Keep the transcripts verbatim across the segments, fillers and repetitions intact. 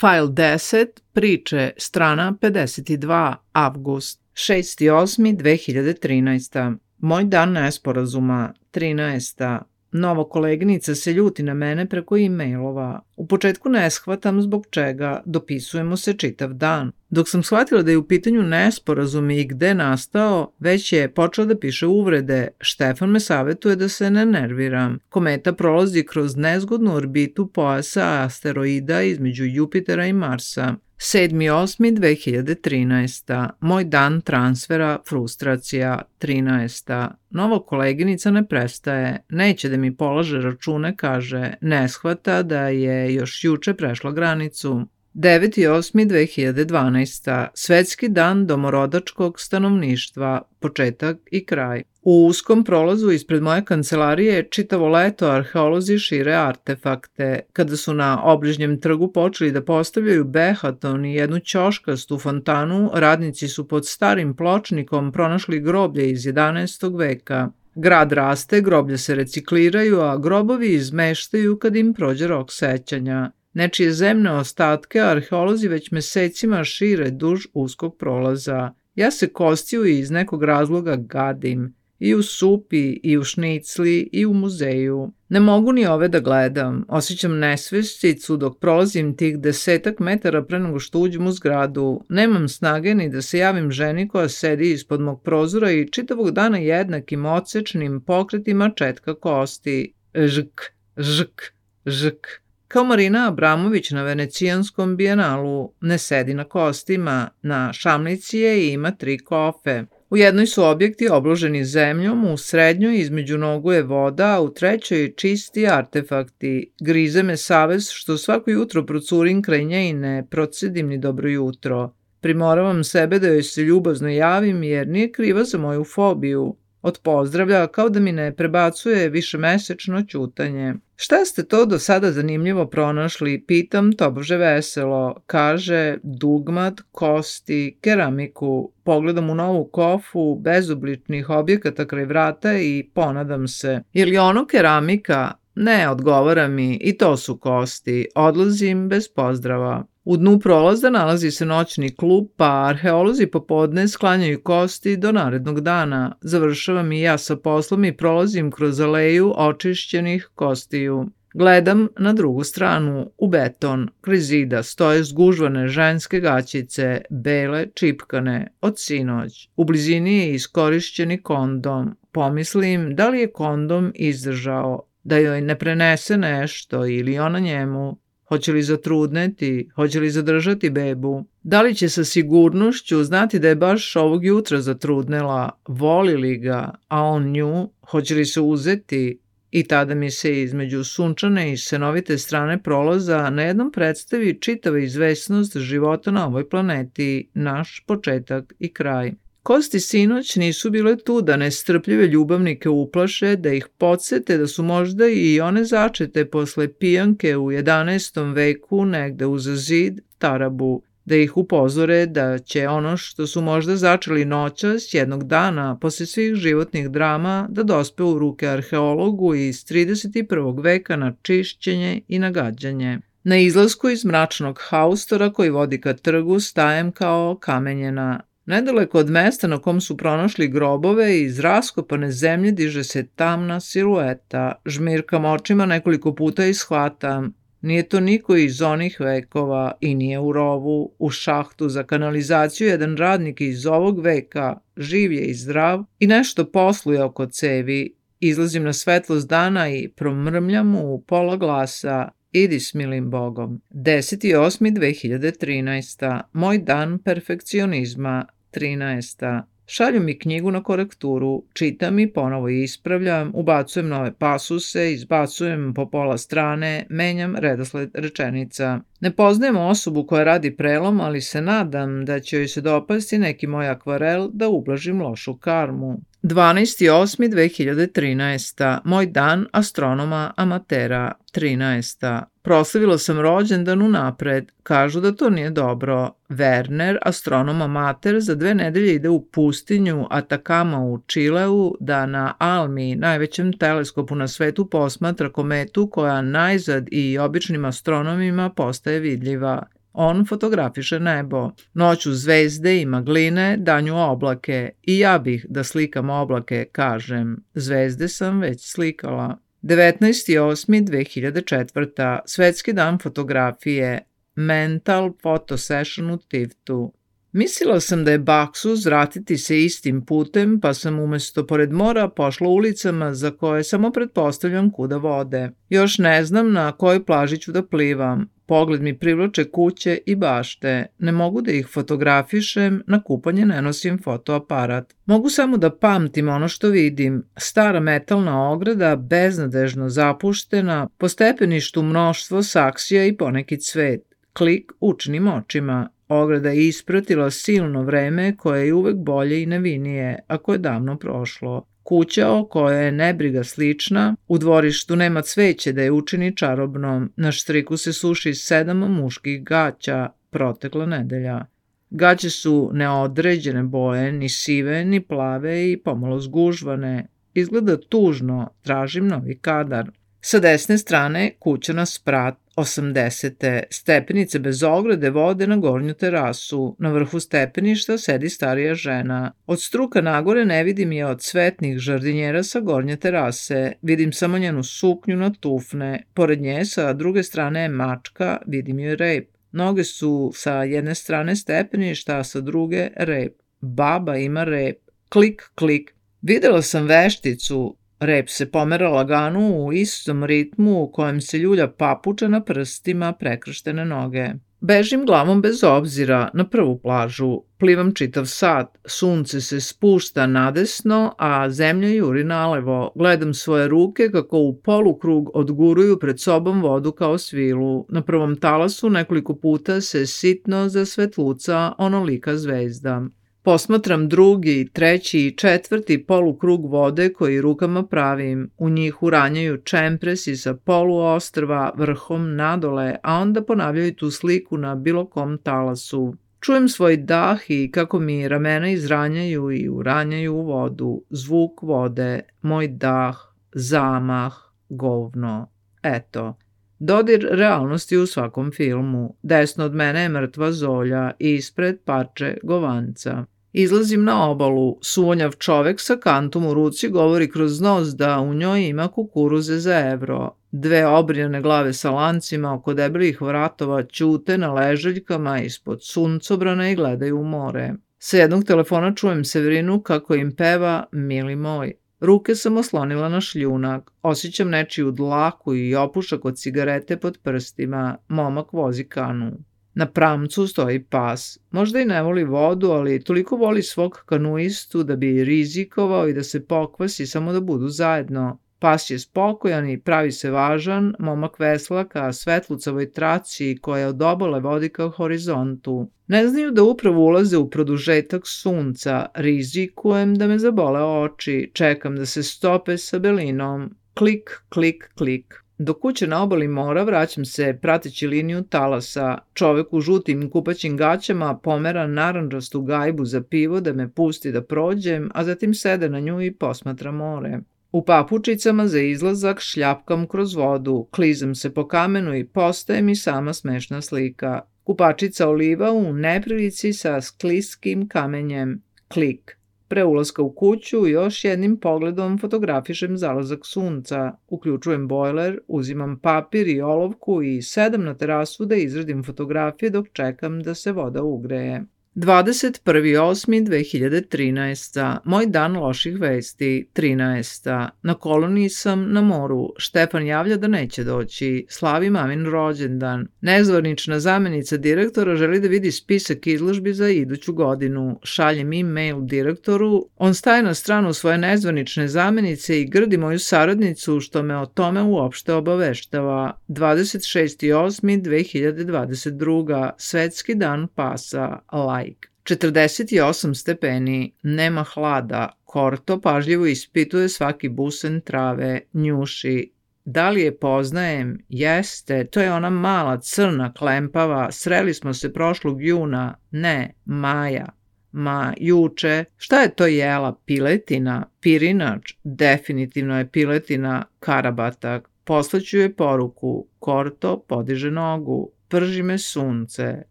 Fajl deset, priče, strana pedeset dva, avgust, šesti osmi dve hiljade trinaesta. Moj dan nesporazuma, trinaesta. Nova koleginica se ljuti na mene preko e-mailova. U početku ne shvatam zbog čega, dopisujemo se čitav dan. Dok sam shvatila da je u pitanju nesporazum i gde nastao, već je počela da piše uvrede. Štefan me savetuje da se ne nerviram. Kometa prolazi kroz nezgodnu orbitu pojasa asteroida između Jupitera i Marsa. sedmi osmi dve hiljade trinaesta. Moj dan transfera, frustracija, trinaesta. Nova koleginica ne prestaje, neće da mi polaže račune, kaže, ne shvata da je još juče prešla granicu. deveti osmi dve hiljade dvanaesta. Svetski dan domorodačkog stanovništva, početak i kraj. U uskom prolazu ispred moje kancelarije čitavo leto arheolozi šire artefakte. Kada su na obližnjem trgu počeli da postavljaju behaton i jednu ćoškastu fontanu, radnici su pod starim pločnikom pronašli groblje iz jedanaestog veka. Grad raste, groblje se recikliraju, a grobovi izmeštaju kad im prođe rok sećanja. Nečije zemne ostatke arheolozi već mesecima šire duž uskog prolaza. Ja se kostiju i iz nekog razloga gadim. I u supi, i u šnicli, i u muzeju. Ne mogu ni ove da gledam. Osjećam nesvesticu dok prolazim tih desetak metara pre nego što uđem u zgradu. Nemam snage ni da se javim ženi koja sedi ispod mog prozora i čitavog dana jednakim odsečnim pokretima četka kosti. Žk, žk, žk. Kao Marina Abramović na venecijanskom bijenalu, ne sedi na kostima, na šamlici je i ima tri kofe. U jednoj su objekti obloženi zemljom, u srednjoj između nogu je voda, a u trećoj čisti artefakti. Grize me savest što svako jutro procurim kraj nje i ne procedim ni dobro jutro. Primoravam sebe da joj se ljubazno javim jer nije kriva za moju fobiju. Od pozdravlja kao da mi ne prebacuje višemesečno ćutanje. Šta ste to do sada zanimljivo pronašli? Pitam tobože veselo. Kaže dugmat, kosti, keramiku. Pogledam u novu kofu bezobličnih objekata kraj vrata i ponadam se. Je li ono keramika? Ne, odgovara mi, i to su kosti. Odlazim bez pozdrava. U dnu prolaza nalazi se noćni klub, pa arheolozi popodne sklanjaju kosti do narednog dana. Završavam i ja sa poslom i prolazim kroz aleju očišćenih kostiju. Gledam na drugu stranu, u beton. Kraj zida stoje zgužvane ženske gaćice, bele, čipkane, od sinoć. U blizini je iskorišćeni kondom. Pomislim da li je kondom izdržao, da joj ne prenese nešto ili ona njemu. Hoće li zatrudneti, hoće li zadržati bebu? Da li će sa sigurnošću znati da je baš ovog jutra zatrudnela, voli li ga, a on nju, hoće li se uzeti? I tada mi se između sunčane i senovite strane prolaza na jednom predstavi čitava izvesnost života na ovoj planeti, naš početak i kraj. Kosti sinoć nisu bile tu da nestrpljive ljubavnike uplaše, da ih podsete da su možda i one začete posle pijanke u jedanaestom veku negde uz zid Tarabu, da ih upozore da će ono što su možda začeli noćas jednog dana posle svih životnih drama da dospe u ruke arheologu iz trideset prvog veka na čišćenje i nagađanje. Na izlasku iz mračnog haustora koji vodi ka trgu stajem kao kamenjena. Nedaleko od mesta na kom su pronašli grobove iz raskopane zemlje diže se tamna silueta. Žmirkam očima nekoliko puta i shvatam. Nije to niko iz onih vekova i nije u rovu. U šahtu za kanalizaciju jedan radnik iz ovog veka, živ je i zdrav i nešto posluje oko cevi. Izlazim na svetlost dana i promrmljam u pola glasa. Idi s milim Bogom. deseti osmi dve hiljade trinaesta. Moj dan perfekcionizma, trinaesta. Šalju mi knjigu na korekturu, čitam i ponovo ispravljam, ubacujem nove pasuse, izbacujem po pola strane, menjam redosled rečenica. Ne poznajem osobu koja radi prelom, ali se nadam da će joj se dopasti neki moj akvarel da ublažim lošu karmu. dvanaesti osmi dve hiljade trinaesta. Moj dan astronoma amatera, trinaesta. Proslavila sam rođendan unapred. Kažu da to nije dobro. Werner, astronom amater, za dve nedelje ide u pustinju Atakama u Čileu da na Almi, najvećem teleskopu na svetu, posmatra kometu koja najzad i običnim astronomima postaje vidljiva. On fotografiše nebo. Noću zvezde i magline, danju oblake. I ja bih da slikam oblake, kažem. Zvezde sam već slikala. devetnaesti osmi dve hiljade četvrta. Svetski dan fotografije. Mental Photo Session u Tiftu. Mislila sam da je baksuz vratiti se istim putem, pa sam umesto pored mora pošla ulicama za koje samo pretpostavljam kuda vode. Još ne znam na kojoj plaži ću da plivam. Pogled mi privlače kuće i bašte. Ne mogu da ih fotografišem, na kupanje ne nosim fotoaparat. Mogu samo da pamtim ono što vidim. Stara metalna ograda, beznadežno zapuštena, po stepeništu mnoštvo saksija i poneki cvet. Klik učnim očima. Ograda je ispratila silno vreme koje je uvek bolje i nevinije, ako je davno prošlo. Kuća o kojoj je nebriga slična, u dvorištu nema cveće da je učini čarobnom, na štriku se suši sedam muških gaća, protekla nedelja. Gaće su neodređene boje, ni sive, ni plave i pomalo zgužvane. Izgleda tužno, tražim novi kadar. Sa desne strane kuća na sprat, osamdesete. Stepenice bez ograde vode na gornju terasu. Na vrhu stepeništa sedi starija žena. Od struka nagore ne vidim je od cvetnih žardinjera sa gornje terase. Vidim samo njenu suknju na tufne. Pored nje sa druge strane je mačka, vidim joj rep. Noge su sa jedne strane stepeništa, a sa druge rep. Baba ima rep. Klik, klik. Videla sam vešticu. Rep se pomera lagano u istom ritmu u kojem se ljulja papuča na prstima prekrštene noge. Bežim glavom bez obzira na prvu plažu. Plivam čitav sat. Sunce se spušta nadesno, a zemlja juri nalevo. Gledam svoje ruke kako u polukrug odguruju pred sobom vodu kao svilu. Na prvom talasu nekoliko puta se sitno zasvetluca onolika zvezda. Posmatram drugi, treći i četvrti polukrug vode koji rukama pravim. U njih uranjaju čempresi sa poluostrva vrhom nadole, a onda ponavljaju tu sliku na bilo kom talasu. Čujem svoj dah i kako mi ramena izranjaju i uranjaju u vodu. Zvuk vode, moj dah, zamah, govno. Eto. Dodir realnosti u svakom filmu. Desno od mene je mrtva zolja i ispred parče govanca. Izlazim na obalu. Suvonjav čovek sa kantom u ruci govori kroz nos da u njoj ima kukuruze za evro. Dve obrijane glave sa lancima oko debelih vratova ćute na ležaljkama ispod suncobrana i gledaju u more. Sa jednog telefona čujem Severinu kako im peva Mili moj. Ruke sam oslonila na šljunak. Osjećam nečiju dlaku i opušak od cigarete pod prstima. Momak vozi kanu. Na pramcu stoji pas. Možda i ne voli vodu, ali toliko voli svog kanuistu da bi rizikovao i da se pokvasi samo da budu zajedno. Pas je spokojan i pravi se važan, momak vesla ka svetlucavoj traci koja od obale vodi ka horizontu. Ne znaju da upravo ulaze u produžetak sunca, rizikujem da me zabole oči, čekam da se stope sa belinom. Klik, klik, klik. Do kuće na obali mora vraćam se prateći liniju talasa. Čovek u žutim kupaćim gaćama pomera narandžastu gajbu za pivo da me pusti da prođem, a zatim sede na nju i posmatra more. U papučicama za izlazak šljapkam kroz vodu, klizam se po kamenu i postaje mi sama smešna slika. Kupačica oliva u neprilici sa skliskim kamenjem. Klik. Pre ulaska u kuću još jednim pogledom fotografišem zalazak sunca. Uključujem bojler, uzimam papir i olovku i sedam na terasu da izradim fotografije dok čekam da se voda ugreje. dvadeset prvi osmi dve hiljade trinaesta. Moj dan loših vesti. trinaesta. Na koloniji sam na moru. Štefan javlja da neće doći. Slavi mamin rođendan. Nezvanična zamenica direktora želi da vidi spisak izložbi za iduću godinu. Šaljem e-mail direktoru. On staje na stranu svoje nezvanične zamenice i grdi moju saradnicu što me o tome uopšte obaveštava. dvadeset šesti osmi dve hiljade dvadeset druga. Svetski dan pasa. Like. četrdeset osam stepeni, nema hlada, Korto pažljivo ispituje svaki busen trave, njuši. Da li je poznajem? Jeste, to je ona mala, crna, klempava, sreli smo se prošlog juna, ne, maja. Ma, juče, šta je to jela? Piletina? Pirinač? Definitivno je piletina, karabatak. Poslaću joj poruku, Korto podiže nogu. prži me sunce,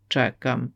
čekam.